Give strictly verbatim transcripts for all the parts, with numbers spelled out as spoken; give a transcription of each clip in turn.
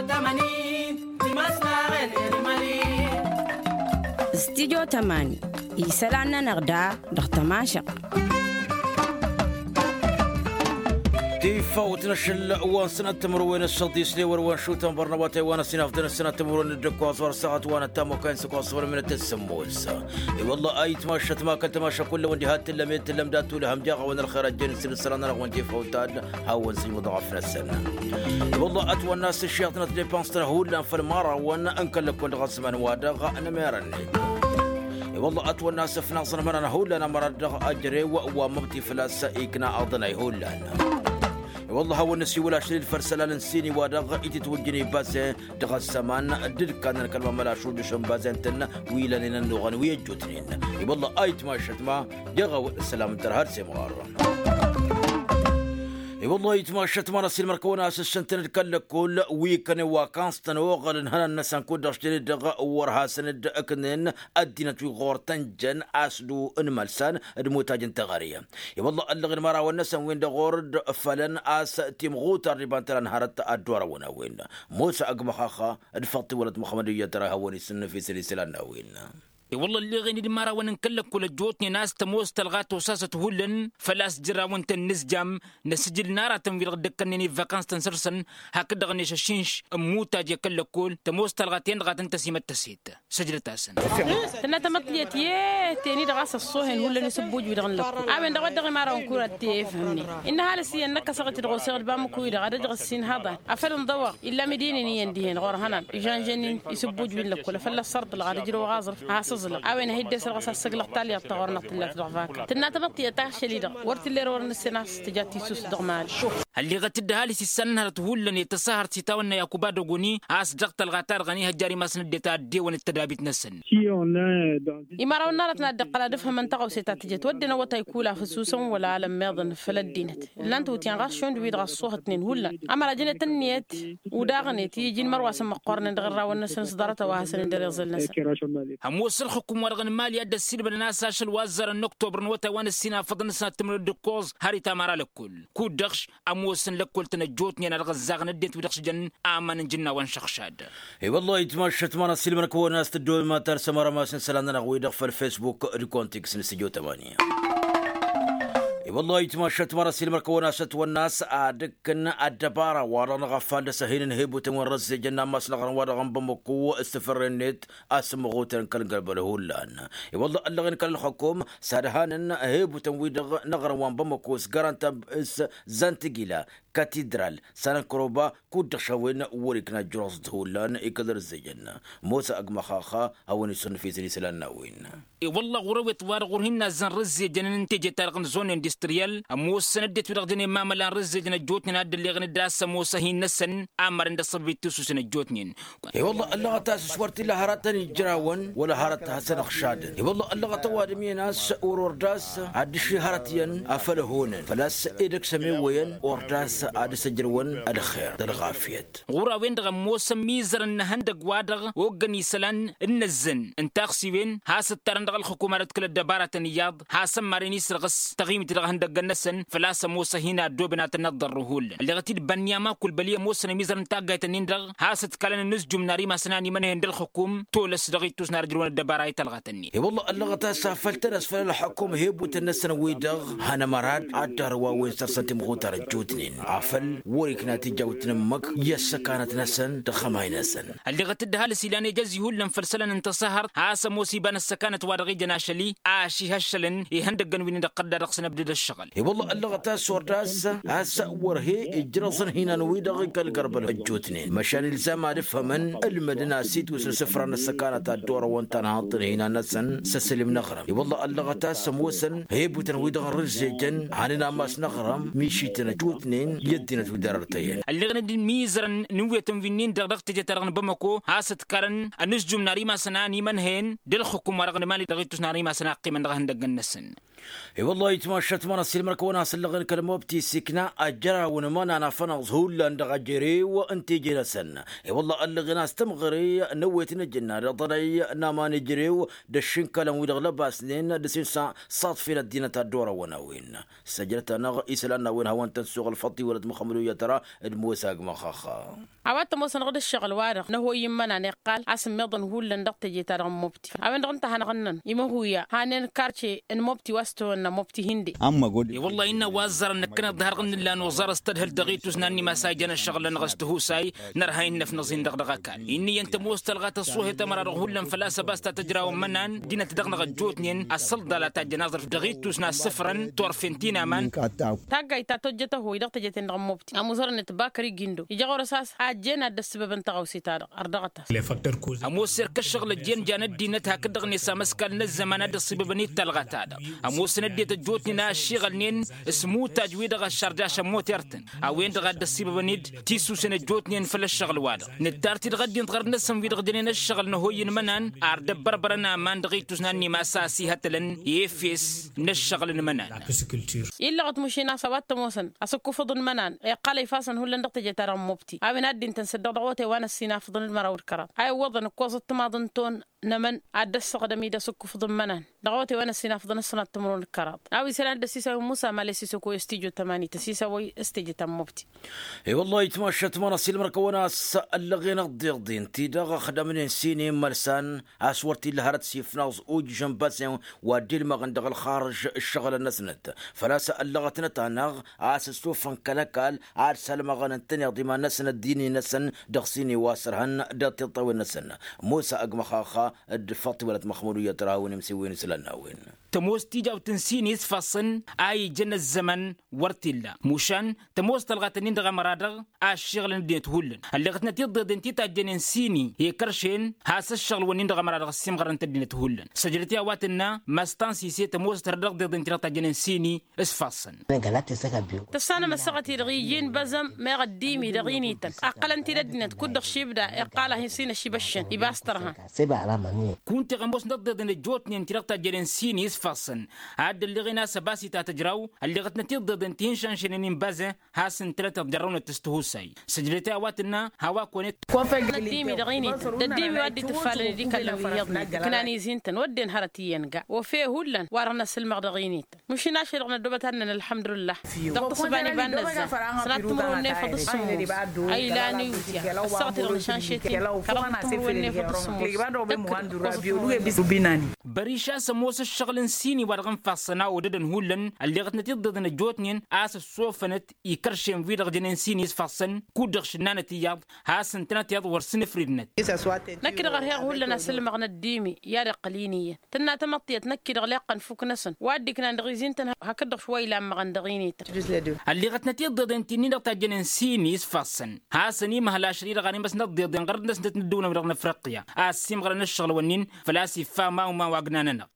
Tămani. Timăslaɣen. Eri mali. Studyo tămani isălan-nănăɣ da dăɣ-tămašăɣt. Tifawt n-ašăl wa n-sănat timǝrwen ăššăḍis lewăr wa n-šutăn bărnăwatay wa n-ăsinafdăn ăsănat timǝrwen d-ǝkkoẓ wăr săɣăt wa n-ăttamokay n-săkoẓ fălmǝnăt ăssămmos. I-wălla ayǝtmašăt ma kăl-tămašăt kull-wăn diha t-tǝllăm i-tǝllăm dat-tulăhăm jaɣ-awăn ălxer ăjjeen s-dd-sălan-nănăɣ wăn tifawt-ad hawăn-sǝjmǝḍ ɣăf-năsăn. I-wălla ătwănna a-s ǝššiɣăt n-ătdepănstăn hullan făll-imărawăn n-kăl-lăkkol dăɣ-ăzzăman-wa-dăɣ n-emăra-net. I-wălla ătwănna a-s ǝfnaẓăn imăran hullan ămăra-dăɣ ăjrew wa măbti făl-a-s ikna aḍănay hullan. I-wălla a hawăn-nǝsiwǝl ašăl-dd făll-isălan n-sini-wa-dăɣ itǝtwǝjjǝn ibazen dăɣ-ăzzăman d-ǝdkanăn kăl-mamăl ašudǝš n-bazen-tăn wi lănen ănnuɣăn wi ăjjootnen. I-wălla a itmašăt ma jaɣ-awăn ăssălam n-tărha d-semɣar. I-wălla a itmašăt ma n-ăsilmăr-kăwăn a-s ǝššǝntăn d-kăl-lăkkol wi kănen wa kanstăn oɣălăn ihănan-năsăn kud-dăɣ šjănen-dăɣ wăr hasăn-dd-ǝknen ăddinăt wi ɣur-tăn jăn asdu n-imălsan d-imutaj n-teɣăre. I-wălla ăllăɣen imărawăn-năsăn-win-dăɣ ɣur-dd fălăn a-s timɣutar d-iba n-tăla n-hărăt ad-dd-orăwăn a-wen. Musa ăgg măxaxa d-făḍt iwălăt muxămmăd iyyăt tăra ihăwăn-isǝnnǝf isăl isălan n-a-wen. I-wălla ălleɣen-dd imărawăn n-kăl-lăkkol ăjjootnen a-s tămoos tălɣa tosasăt hullan făl-a-s jărawăn-tăn inǝzjam n-asǝjǝl n-aratăn-wi-dăɣ dd-ăkkănnen ivvăkăns-tăn săr-săn hakd-dăɣ-net ăššinš n-imutaj i-kăl-lăkkol tămoos tălɣa-ten-dăɣ a tăn-tăsimăttăset. Săjdăt-asăn. Tǝnna tamăḍt tiyyăt i-teni-dăɣ a-s ăṣṣoohen hullan isǝbbuj-wi-dăɣ n-lăkkol a-wen-dăɣ wădden imărawăn kurat i-efhămnen innă ăhalǝs iyyăn năkk ăsăɣ-t-dăɣ oseɣ d-bamǝk-wi-dăɣ ad-ăjrăs s-inhăḍan afăl ǝnḍăwăɣ illa midǝynen iyyăn dihen ɣur-ihănan ižănžăn isǝbbuj wi n-lăkkol afăl ăssărḍǝlăɣ ad-ǝjrăwăɣ aẓrǝf a has-ǝẓlăɣ a-wen a hi-dd-esălɣăs a-s săglăɣ talyaḍt ta ɣur-năɣ tǝllat dăɣ-vaka tǝnna tamăḍt tiyyăt ašăl-i-dăɣ wăr t-illa erăwăr n-ǝssin a-s tǝja tisust dăɣ-mali. Ălleɣăt-dd ăhalǝs issan n-hărăt hullan i-tăsahărt s-itawănna yakuba dăgoni a-s dăɣ-tălɣa-ta-dăɣ ănihăjjar imasăn ăddinăt a dd-ewăn d-tădabit-năsăn. Imărawăn n-arăt n-ad-dd-iqqăl ad-ǝfhămăn taɣăwse ta tǝjăt wădden awătay kula făsuusăn wăla alămmeḍăn făll-ăddinăt ǝllan-t iwǝtyan ɣas šund-wi-dăɣ ăṣṣuhătnen hullan ămăra jănet ǝnniyăt udaɣnet i-iji n-imărwasăn măqqoornen dăɣ-ărrawăn-năsăn s-ḍarăt a-wa hasăn-dd-ăriẓǝl-năsăn. Ămoos ălxukum-wa-dăɣ n-imali a dd-ăssiilmădăn a-s ašăl wa ăzzarăn n-oktobăr n-awătay wa n-ǝssin afăḍăn-năsăn ad-tǝmrǝd d-ǝkkoẓ har itamăra lăkkol kud-dăɣ-š ămoosăn lăkkol-tăn ăjjootnen a dăɣ-ăzzaɣăn ăddinăt wi-dăɣ s-jăn aman n-ijǝnna wa n-šăɣšad. I-wăllah itmašăt ma n-ăssiilmăr-kăwăn a-s tǝddooben ma tarǝsăm arămas n-isălan-nănăɣ-wi-dăɣ făll-fesbuk d-kontiks n-studio tămani. I-wăllah itmašăt ma n-ăssiilmăr-kăwăn a-s ătwănna a-s ad-ǝkkǝn ăddăbara-wa-dăɣ n-aɣăffal d-asăhinăn hebutăn wi n-răzzejăn n-ammas n-aɣrǝm-wa-dăɣ n-bamăko s-tafărre-net a-s ǝmmăɣutăn kăl-gărbăl hullan. I-wăllah ăllăɣen kăl-ălxukum s-ad-hanăn hebutăn-wi-dăɣ n-aɣrǝm wa n-bamăko s-garanta s-zantigila katidral s-anănkăroba kud-dăɣ šawen wăr ikna ǝjrăẓ-t hullan i-kăl-răzzejăn. Mosa ăgg măxaxa hawăn-isǝnnǝf isălan n-a-wen. I-wălla ɣur-awet-wa-dăɣ wăr hin-nazzăn răzzejăn n-teje-ta-dăɣ n-zone industriyal ămoosăn ăddinăt wi-dăɣ jănen mamăla n-răzzejăn ăjjootnen a dd-ălleɣăn d-ass ămoos ahin-năsăn amăren d-ăṣṣăbăb ittusǝsen ăjjootnen. I-wălla ăllăɣăt a-s s-wăr t-illa hărătăn ijrawăn wăla hărăt hasăn-dăɣ šadăn i-wălla ăllăɣăt ăwadǝm iyyăn a-s wăr-wăr d-ass ad-dd-ǝššǝy hărăt iyyăn afăl ăhonăn făl-a-s edăgg s-ămewăyăn wăr d-ass ad-dăr-s ăjrăwăn ălxer d-ălɣafyăt. Ɣur-a-wen-dăɣ ămoosăn imizărăn n-ehăndăgg-wa-dăɣ oggăn isălan n-inǝzzăn n-taxsiwen has-ǝttarăn dăɣ-ălxǝkum ad-ădkǝl ăddăbaratăn iyyăḍ has-ămmaren isrăɣǝs taɣimit dăɣ-ehăndăggăn-năsăn făl-a-s ămoos ăhin-addobăn ad-tăn-ăḍḍărru hullan ălleɣăt-dd bănniyam akul băli ămoosăn imizărăn n-taggayt-ǝnnin-dăɣ has-ǝdkalăn anǝzjum n-ar imasăn a ănimănhăyăn d-ălxǝkum tolăs dăɣ-ittus n-ar ǝjrǝwăn ăddăbara i-talɣat-ǝnnin. I-wălla ăllăɣăt a-s afăl tăn-ăsfăl ălxǝkum hebutăn-năsăn-wi-dăɣ han ămăra-dd ad-dd-arǝwa a-wen săr-săn timɣutar ăjjootnen afăl wăr-ikna tija wa t-nǝmmăk i-ăssăkanăt-năsăn d-ăxxămay-năsăn. Ălleɣăt-dd ăhalǝs ilan ejăz ihullan făll-isălan n-tăsahărt a-s ămoos iba n-ăssăkanăt wa dăɣ-ijăn ašăl-i a ăšihăššălăn ihăndăggăn wi n-dăɣ-tădda dăɣ-săn ăbdăd ăššăɣǝl. I-wălla ăllăɣăt a-s wăr d-ass a-s wăr he-ijrăẓăn hinan-wi-dăɣ i-kăl-gărbăl ăjjootnen măšan ilzam ad-ǝfhămăn ǝlmădăn asitwǝs n-isǝfra n-ăssăkanăt ad-dd-orăwăn tanhaḍt n-hinan-năsăn s-asălim n-aɣrǝm. I-wălla ăllăɣăt a-s ămoosăn hebutăn-wi-dăɣ n-rǝzzejăn hanen ammas n-aɣrǝm mišităn ăjjootnen i-ăddinăt wi dăr-ărtăyăn. Ălleɣnen-dd imizărăn n-ewetăn wi-nin-dăɣ dăɣ-teje-ta-dăɣ n-bamăko has-ǝdkarăn anǝzjum n-ar imasăn a ănimănhăyăn d-ălxǝkum wa dăɣ-nǝmali dăɣ-ittus n-ar imasăn a ăqqimăn dăɣ-ihăndăggăn-năsăn. I-wălla itmašat ma n-asilmăr kăwăn-asǝllăɣen kăl-mobti s-ikna ajăraw n-imănan afănăẓ hullan dăɣ-ajărew n-teje-năsăn. I-wălla ăllăɣen a-s tămɣăre n-ewet n-ejănna d-aḍănăy n-aman ejărew d-ăššǝnkălăn wi-dăɣ lăbasnen d-asinsa s-aḍfel ăddinăt ad-dd-orăwăn a-wen. Săjdăt-anăɣ isălan n-a-wen hawăn-tăn-suɣǝl făṭṭi wălăt măxămăd oyya tăra d-mosa agmăxaxa. A-wa t-ămoosăn dăɣ-dd-ǝššăɣǝl-wa-dăɣ n-ăhoyy n-imănan iqqal a-s ǝmmiḍăn hullan dăɣ-teje-ta-dăɣ n-mobti a-wen-dăɣ ǝnta a hanăɣ-ǝnnăn imăhuya hanen karce n-mobti wa s-tăwănna mobti hinde. I-wăllah innă wa ăzzarăn năkkăneḍ d-harɣǝn n-ǝllan oẓar s-tadhǝlt dăɣ-itus n-annima s-a ijăn ăššăɣǝl-nănăɣ s-tihusay. Nărha innăfnăẓ-in-dăɣ dăɣ-ăkall-i n-iyyăn tămoos tălɣa tăṣṣuhet ămăra-dăɣ hullan făl-a-s ăbas ta tăjrawăn imănan ăddinăt-dăɣ-năɣ ăjjootnen ăssălḍal a tajjăn aẓrǝf dăɣ-itus n-assǝfrăn turfen ti n-aman. Taggayt ta tojjăt ăhoy dăɣ-teje-ten-dăɣ n-mobti ămuzărăn-net bakări gindo ija ɣur-s a-s ajjen ad-dd-ăssibăbăn tăɣawse-ta-dăɣ. Ărdăɣăt-as. Ămoos erk ǝššăɣǝl ăjjeen jan ăddinăt hakd-dăɣ-net amăskal n-ăzzăman a dd-ăṣṣibăbăn-dd talɣa-ta-dăɣ. Ămoosăn ăddinăt ăjjootnen a ăššiɣălnen s-imutaj-wi-dăɣ ăššărjašăn moter-tăn a-wen-dăɣ a dd-ăṣṣibăbăn-dd tisusen ăjjootnen făll-ăššăɣǝl-wa-dăɣ. Nǝttar-t-dăɣ ăddinăt ɣărăt-năsăn wi-dăɣ jănen ăššăɣǝl n-ăhoyy n-imănan ar dd-ăbbărbărăn aman dăɣ-itus n-annimas a ăsihătălăn efes n-ăššăɣǝl n-imănan. Illăɣăt mušin a-s a-wa t-ămoosăn asǝkkufǝḍ n-imănan iqqal a ifasăn hullan dăɣ-teje-ta-dăɣ n-mobti a-wen ad-dd-intăn săddeɣ dăɣ-awătay wa n-ăssinafăḍăn d-măraw d-kăraḍ a iwwăḍăn ǝkkoẓăt timaḍ n-ton n-emăn ad-dd-ăssaɣdăm-dd asǝkkufǝḍ n-imănan. Dăɣ-awătay wa n-ăssinafăḍăn ăssinat timǝrwen d-kăraḍ a-wa isălan dd-ăssisawen musa male s-isăkoy s-tijo tămani tăsisawăy s-teje ta n-mobti. I-wăllah itmašat ma n-asilmăr kăwăn-as ăllăɣen ăḍḍeḍen-ti-dăɣ ăxdămnen sine n-imălsan a-s wăr t-illa hărăt s-ifnaẓ ujǝžăn basen wa dd-ilmăɣăn dăɣ-ălxarǝž ǝššăɣǝlăn-năsnăt. Făl-a-s ăllăɣătnăt-anăɣ a-s ăssofăn kăl-ăkall ad-salmăɣăn ǝntăneḍ iman-năsnăt d-ini-năsăn dăɣ-sine wa s-ărhăn d-tiṭṭawen-năsăn. Musa ăgg măxaxa d-făṭṭ wălăt măxmud u-iyyăt răha a-wen imsiwen isălan n-a-wen. Tămoos tijawt n-sini s-ifassăn a ijăn ăzzăman wăr t-illa mušan tămoos tălɣat-nin-dăɣ ămăra-dăɣ a ăššiɣǝlăn ăddinăt hullan. Ălleɣătnăt iḍeḍen ti tajjănen sini i-kăršen has-ăššăɣǝl-wǝnnin-dăɣ ămăra-dăɣ ăssiimɣărăn-t ăddinăt hullan. Săjdăt i-a-wa tǝnna măstan sise tămoos tărha dăɣ-iḍeḍen ti-dăɣ tajjănen sini s-ifassăn. Tăssanăm ăssaɣăt-i-dăɣ iji n-băzăm meɣ ăddimi dăɣ-inităn ăqqălăn-t-dd ăddinăt kud-dăɣ šibda iqqal-ahi s-inăšibăššăn ibas tărha. Kunta iɣămoosnăt ăḍḍeḍen ăjjootnen ti-dăɣ tajjănen sini s-ifassăn ad-dd-ălleɣen a-s ăbas itatăjraw. Ălleɣătnăt iḍḍeḍen ti hin-šanšănen inbazăn has-ǝntănăt iḍjărrăwnăt s-tihusay. Săjdăt i-a-wa tǝnna. Hawak-onet ăddimi dăɣ-inităn d-ăddimi wa dd-itǝffalăn d-ikallăn wi iyyăḍnen ǝknan izi ǝntăn wădden hărăt iyyăn ga ofe hullan wa dăɣ-năsǝlmăɣ dăɣ-inităn. Măšin ašăl-dăɣ năddobăt ad-nănălhăm d-ǝllah dăɣ-tǝṣǝba n-iba n-năzzan. Sănat timǝrwen n-efăḍ s-sǝmmos a ilan iwǝtya ăssaɣăt-i-dăɣ nǝšanšet-in. Kăraḍ timǝrwen n-efăḍ s-sǝmmos. Tăkkǝd ǝkkoẓăt timǝrwen. Băriša s-ămoos ǝššăɣǝl n-sini wa dăɣ-infassăn a odădăn hullan ălleɣătnăt iḍeḍen ăjjootnen a-s ăssofănăt ikăršen wi-dăɣ jănen sini s-ifassăn kud-dăɣ šǝnnanăt iyyăḍ has-ǝntănăt iyyăḍ wăr sǝnǝfridnăt. Năkk-dăɣ ărheɣ hullan asǝlmăɣ n-ăddimi i-ad-iqqăl-in iyyăn tǝnna tamăḍtiyăt năkk-i-dăɣ leqqăn fuknăsăn wa dd-iknan dăɣ-izi-ǝntăn hakd-dăɣ šwa ilan măɣăn dăɣ-inităn. Ălleɣătnăt iḍeḍen ti-nin-dăɣ tajjănen sini s-ifassăn hasăn-imhăl ašăl-i-dăɣ a n-imăsnăt iḍeḍen ɣărăt-năsnăt n-ăddăwnăw-dăɣ n-afriqya a ăssiimɣărăn ăššăɣǝl-wǝnnin. Făl-a-s iffa mawma wa ǝgnan-anăɣ.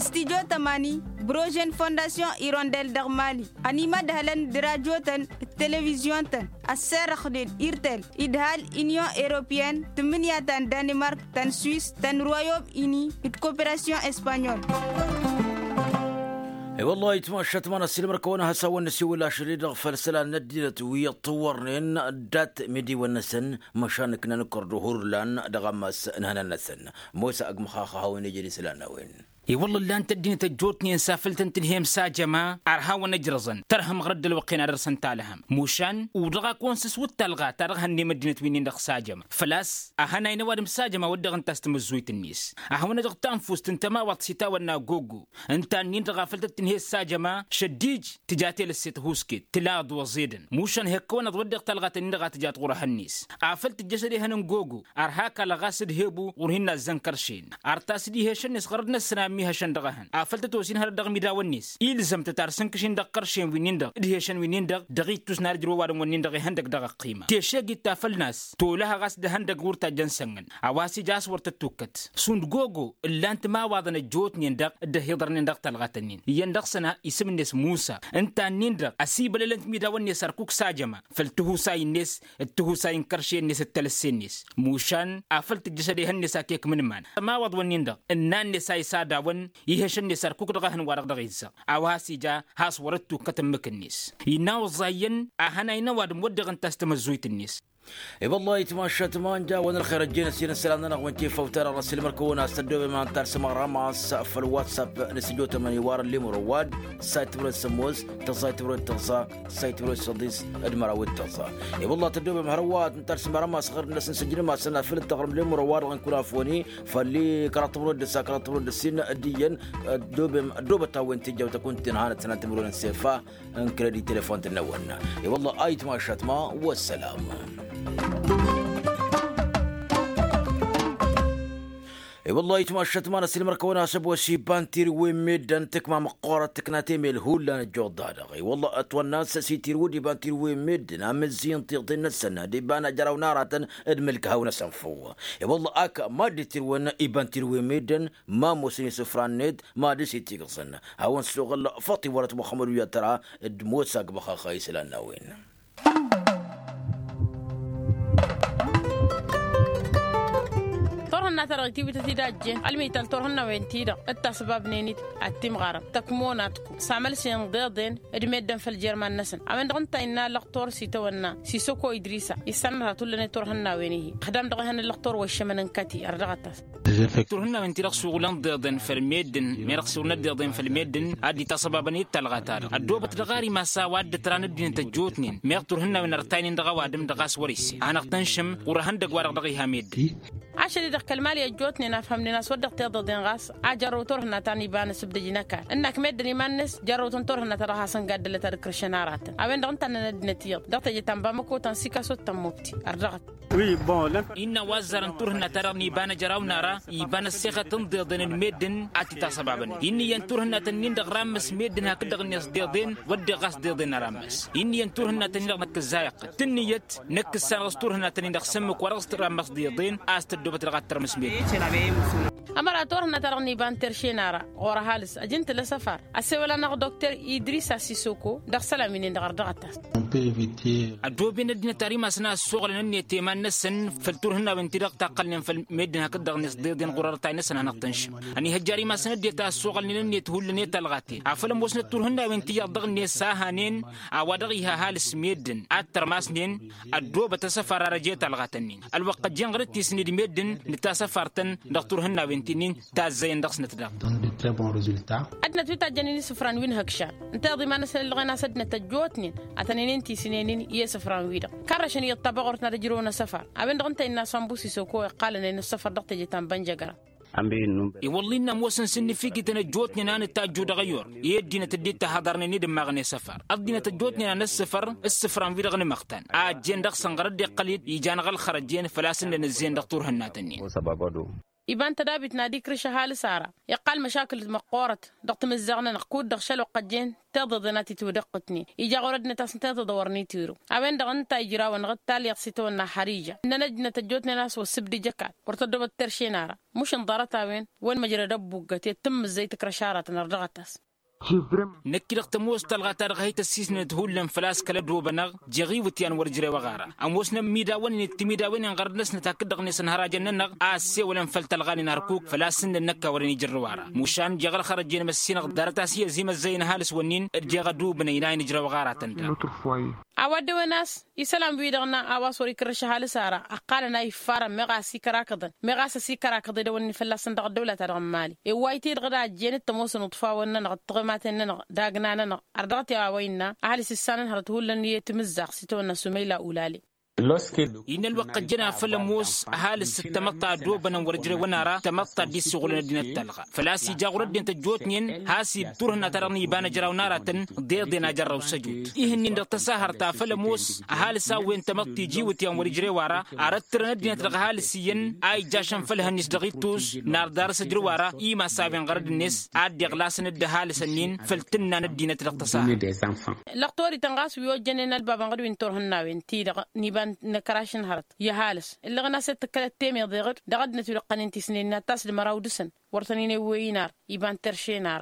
Studio tămani brožen fondasyon irondel dăɣ-mali ănimădhălăn d-rajotăn d-televizyon-tăn ăsserăxnen irtel idhal inyon europyen tǝmmǝnǝya ta n-danimark ta n-swis ta n-royom ini d-koperasyon espanyol. I-wăllah itmašat ma n-asǝlmăr kăwăn-ahăsawăn n-asiwǝl ašăl-i-dăɣ făll-isălan n-ăddinăt wi ǝṭṭǝwwărnen dat-midiwăn-năsăn. Măšan ǝknan ǝkkăr d-uhurlan dăɣ-ammas n-ihănan-năsăn. Mosa ăgg măxaxa a hawăn-ijed isălan n-a-wen. I-wălla ǝllan-t ăddinăt ăjjootnen s-afăl tăn-tǝnhǝyăm s-ajăma ărha-wăn ǝjrăẓăn tărhǝm ɣur-dd ălwăqq-en ad-dăr-săn talhăm. Mušan uḍăɣ-ak-wăn s-ǝswǝt talɣa ta dăɣ-hănnăm ăddinăt wi-nin-dăɣ s-ajăma făl-a-s ahănay n-ăwadǝm s-ajăma wăr dăɣ-ǝnta a-s tamǝzzuyt-net. Ahăwăn-dăɣ tanfust n-tămawăḍt s-itawănna gogo ǝnta-nin-dăɣ afăl tăt-tǝnhǝy s-ajăma šăddij tǝja telăsse tăhusket tǝla ăḍwăẓ edăn mušan hekkăwăn-ăḍ wădden talɣa tăn-in-dăɣ a tǝjat ɣur-ehăn-net. Afăl tǝjjăšăd ehăn n-gogo ărha akall ɣas d-hebu ɣur-hin-nazzăn kăršen. Ar ta s-dd-iheša-net ɣărăt-năsăn. Mihăšăn dăɣ-ehăn afăl tăt-osin hărăt dăɣ-imidawăn-net ilzăm-tăt ar s-ǝnkǝšin dăɣ-iqăršen wi-nin-dăɣ d-ihăšăn wi-nin-dăɣ dăɣ-ittus n-ad-ǝjrǝwăn iwadǝm-wǝnnin-dăɣ ihăndăg dăɣ-ăqqima teše git tafăl n-a-s tolăhăɣ a-s d-ehăndăg wăr tajjăn sănnăn. A-wa s-ija a-s wăr tăt-tukkăt šund gogo ǝllan timawaḍăn ăjjootnen-dăɣ d-ăhiḍărnen dăɣ-talɣat-ǝnnin iyyăn dăɣ-săn isǝm-net musa ǝnta-nin-dăɣ ăsibălălăn timidawăn-net ărkuk s-ajăma făll-tihusay-net d-tihusay n-kărše-net d-talǝsse-net mušan afăl tǝjjăšăd ehăn-net a kek mǝnman. Ămawăḍ-wǝnnin-dăɣ ǝnnan-net a isadawăn ihăšăn-net ărkuk dăɣ-ehăn-wa-dăɣ dăɣ-izzăɣ a-wa has-ija has-wăr-dd-tukkăt ǝmmǝk-net. Innă oẓẓa iyyăn ahănay n-ăwadǝm wădden ǝnta a-s tamăzzuyt-net. I-wălla ayǝtmašat ma ănja a-wen ălxer ăjjeen ăssiilăn isălan-nănăɣ wen ti-făw-ta-dăɣ n-ăssiilmăr-kăwăn a-s tăddoobem ad-nǝtarsǝm aɣrama a-s făll-whatsapp n-asǝjotămăn iwar ăllimur ăwad. Say tǝmrăd s-ămoos tăẓẓay tǝmrăd tăẓẓa say tǝmrăd s-ăḍis d-măraw d-tăẓẓa. I-wălla tăddoobem hărwa ad-nǝtarsǝm aɣrama a-s ɣăr-năsăn săjdǝm a-s ănafăl d-taɣrǝm ăllimur ăwad dăɣ-inkun afoni făll-kăraḍ tǝmrăd d-ǝssa kăraḍ tǝmrăd d-ǝssin d-iyyăn. Ăddoobem ăddoobăt a-wen tijjăw tăkunt-in hanăt-sănat timǝrwen n-sefa n-kredit telefon-tăn-năwăn. I-wălla ayǝtmašat ma wăssălam. I-wălla ayǝtmašat ma n-ăssilmăr-kăwăn-asăb wa s-iba n-tirǝwen meddǝn tǝkma măqqoorăt tǝkna temel hullan ăjjoḍ-da-dăɣ i-wălla ătwănna s-ăsitirǝw d-iba n-tirǝwen meddǝn amǝzzi n-tiḍen-năsăn d-iba n-ajăraw n-aratăn d-imǝlkăhaw-năsăn făw. I-wălla ak mad-dd-tirǝwăn iba n-tirǝwen meddǝn ma ămoosăn isǝfra-net ma dăr-s itigǝẓăn. Hawăn-suɣǝl faṭi wăr-ătwăxxămăd wi ad-tăra d-mosa ăgbăxăx isălan n-a-wen. Turhǝnna-ta-dăɣ itiwǝtăt-dd a ăjjeen ălmital turhǝnnawen-ti-dăɣ d-tasbabnen-dd ad-timɣarăm tăkmonatku s-amălsen deḍen d-meddǝn făll-jerman-năsăn a-wen-dăɣ ǝnta innă ăllăɣtor s-itawănna sisoko idrisa issanăt ad-tullăne turhǝnnawen-hi ăxdam dăɣ-ehăn ăllăɣtor wa iššămăn n-kăti ărdăɣăt-as. Turhǝnnawen-ti-dăɣ suɣǝlăn deḍen făll-meddǝn meɣ suɣǝlnăt deḍen făll-meddǝn ad-dd-itasăbabăn i-talɣa-ta-dăɣ ăddoobăt dăɣ-arimasa wa dd-tăra n-ăddinăt ăjjootnen meɣ turhǝnnawen ărtaynen dăɣ-ăwadǝm dăɣ-a-s wăr-isse hanăɣ-tăn-šăm ɣur-ehăndăgg-wa-dăɣ dăɣ-iha meddǝn. Ašăl-i-dăɣ kăl-mali ăjjootnen afhămnen a-s wăr dăɣ-tiḍăḍen ɣas a jărrăw turhǝnna ta n-iba n-asǝbdăj n-ăkall ǝnnak meddǝn iman-net jărrăw-tăn turhǝnna ta dăɣ-hasăn gaddălăt ad-ǝkrǝšăn aratăn a-wen-dăɣ ǝnta a ǝnnăn ăddinăt iyyăḍ dăɣ-teje ta n-bamăko ta n-sikaso d-tămmobti ărdăɣăt. Wi bun lăn. Innă wa ăzzarăn turhǝnna-ta-dăɣ n-iba n-ajăraw n-ara iba n-ăssexăt n-deḍen n-meddǝn ad-t-tasăbabăn. Inn'-iyyăn turhǝnna-tăn-in-dăɣ rammăs meddǝn hakd-dăɣ-net deḍen wădden ɣas deḍen n-arammăs. Inn'-iyyăn turhǝnna-tăn-in-dăɣ năkkăzzayăɣ tǝnnǝyăt năkkǝssan ɣas turhǝnna-tăn-in-dăɣ s-ǝmmǝk wa dăɣ-s tǝrammăs deḍen a-s tăddoobăt dăɣ-ad-tărmǝs meddǝn. Ămăra turhǝnna-ta-dăɣ n-iba n-terše n-ara ɣur-ăhalǝs ăjǝn-t ălăsăfar ăssewăl-anăɣ dokter idrisa sisoko dăɣ-isălan wi-nin-dăɣ ărdăɣăt-as. Ăddooben ăddinăt ar imasăn a ăssoɣălăn ǝnnet i-iman-năsăn făll-turhǝnnawen-ti-dăɣ taqqălnen făll-meddǝn hakd-dăɣ-net deḍen ɣur-ărtay-năsăn hanăɣ-tăn-šăm. Ăniihăjjar imasăn ăddinăt a ăssoɣălnen ǝnnet hullan i-talɣaten afăl ămoosnăt turhǝnnawen ti iyyăḍ dăɣ-net s-a hanen a-wa dăɣ-iha ăhalǝs meddǝn ad-tărmasnen. Ăddoobăt asăfar ar ăj i-talɣat-nin ălwăqq ăjjeen ɣur-dd tisǝnni d-meddǝn nǝttasăfar-tăn dăɣ-turhǝnnawen ti-nin. Tazzăyăn dăɣ-snăt daɣ. Ăddinăt wi tajjănen isǝfran wi n-ihăkšan ǝnta iyyăḍ iman-năsăn ǝllăɣen a-s ăddinăt ăjjootnen ad-tăn-ǝnnin tisǝnen-in i-isǝfran-wi-dăɣ. Karrăšăn iyyăḍ tabăɣurt n-ad-ǝjrǝwăn asăfar a-wen-dăɣ ǝnta innă asambu sisoko iqqalăn-en ăssăfăr dăɣ-teje ta n-bănjăgăra. I-wălla-i n-ămoosăn s-ǝnnǝfikităn ăjjootnen a nǝtajju dăɣ-ăyor i-ăddinăt dd-ittăhaḍărnen i-dd-ǝmmaɣăn i-asăfar ăddinăt ăjjootnen a năssăfăr ǝssǝfran-wi-dăɣ n-imăɣtan a ăjjeen dăɣ-săn ɣur-dd-iqqăl-dd ijan ɣălxărăjjen făl-a-s ǝnnăn ǝzzeyăn dăɣ-turhǝnna-tăn-in. Iba n-tădabit n-ad-ikrǝš ăhalǝs ara iqqal măšakǝl d-măqqoorăt dăɣ-timǝzzaɣ-nănăɣ kud-dăɣ šăl oqqăjjen tiḍeḍen a t-itwǝdăqqǝtnen ija ɣur-ăddinăt a-s n-tiḍeḍ a wărăn itiwǝrǝw. A-wen-dăɣ ǝnta ijrawăn dăɣ-talyaḍt s-itawănna ăxxăriža ǝnnăn ăddinăt ăjjootnen a-s wa s-sǝbdǝj ăkall wăr tăddoobăt terše n-ara. Măšan ḍarăt-a-wen wăr măjrăd ăbbuggăt i-ad-tǝmmǝzzăy tǝkrăš aratăn ărdăɣăt-as. Năkk-i-dăɣ tămoos talɣa-ta-dăɣ a hi-tăssisnănăt hullan făl-a-s kăl-ădobănăɣ jeɣ iwǝtyan wăr ǝjrewăɣ ara. Ămoosnăn imidawen-net timidawen-en ɣărăd-năsnăt hakd-dăɣ-net ănhărajăn-nănăɣ a ăssewălăn făll-talɣa-nen ărkuk făl-a-s ǝnnăn năkk a wărăn ijărrǝw ara. Mušan jeɣ ălxărăjjen măssinăɣ ḍarăt a-s i-ăzimăzzăyăn ăhalǝs-wǝnnin d-jeɣ ădubǝnăy n-a hin-ǝjrăwăɣ aratăn-dăɣ. A-wa dd-ewăn a-s isălan-wi-dăɣ n-a-wa s-wăr-ikrăš ăhalǝs ara ǝqqalăn a iffarăn meɣ a ăsikărakăḍăn meɣ a-s ăsikărakăḍ edăwănnin fălla-săn dăɣ-ăddăwla-ta-dăɣ n-mali. Iwwayt-i-dăɣ d-a ăjjeen d-tămoosăn uṭfawăn-nănăɣ d-tiɣǝmaten-nănăɣ d-agna-nănăɣ. Ărdăɣăt i-a-wa innă ăhalǝs issanăn hărăt hullan i-timǝzzaɣ s-itawănna sumăyla ulale. Innă ălwăqq ăjjăn afăl ămoos ăhalǝs d-tamăḍt ta ădobănăn wăr-ǝjrewăn ara tamăḍt ta dd-issiɣulăn ăddinăt talɣa. Făl-a-s ija ɣur-ăddinăt ăjjootnen has-dd turhǝnna ta dăɣ-niba n-ăjraw n-aratăn d-eḍen a jărrăw s-ăjut. Ihǝnnin dăɣ-tăsahărt afăl ămoos ăhalǝs a-wen tamăḍt tiji iwǝtyan wăr-ǝjrew ara arăttărăn ăddinăt dăɣ-ăhalǝs iyyăn a ijja ašănfăl ehăn-is dăɣ-ittus n-arḍarăs ǝjrǝw ara imas a-wen ɣărăd-net ad-dd-iɣlasăn d-ăhalǝs-ǝnnin făll-tǝnna n-ăddinăt dăɣ-tăsahărt. Lăqtorităn ɣas wi ojjănen ălbabăn ɣǝd wi n-turhǝnnawen ti-dăɣ n-iba n-ăkăraš n-hărăt i-ăhalǝs ǝllăɣăn a-s dd-tǝkkălăt temeḍe ɣǝd dăɣ-ăddinăt wi d-ǝqqănen tisnen n-ad-tasdǝm ăraw dăɣ-săn wăr tăn-in-ewwey inar iba n-terše n-ara.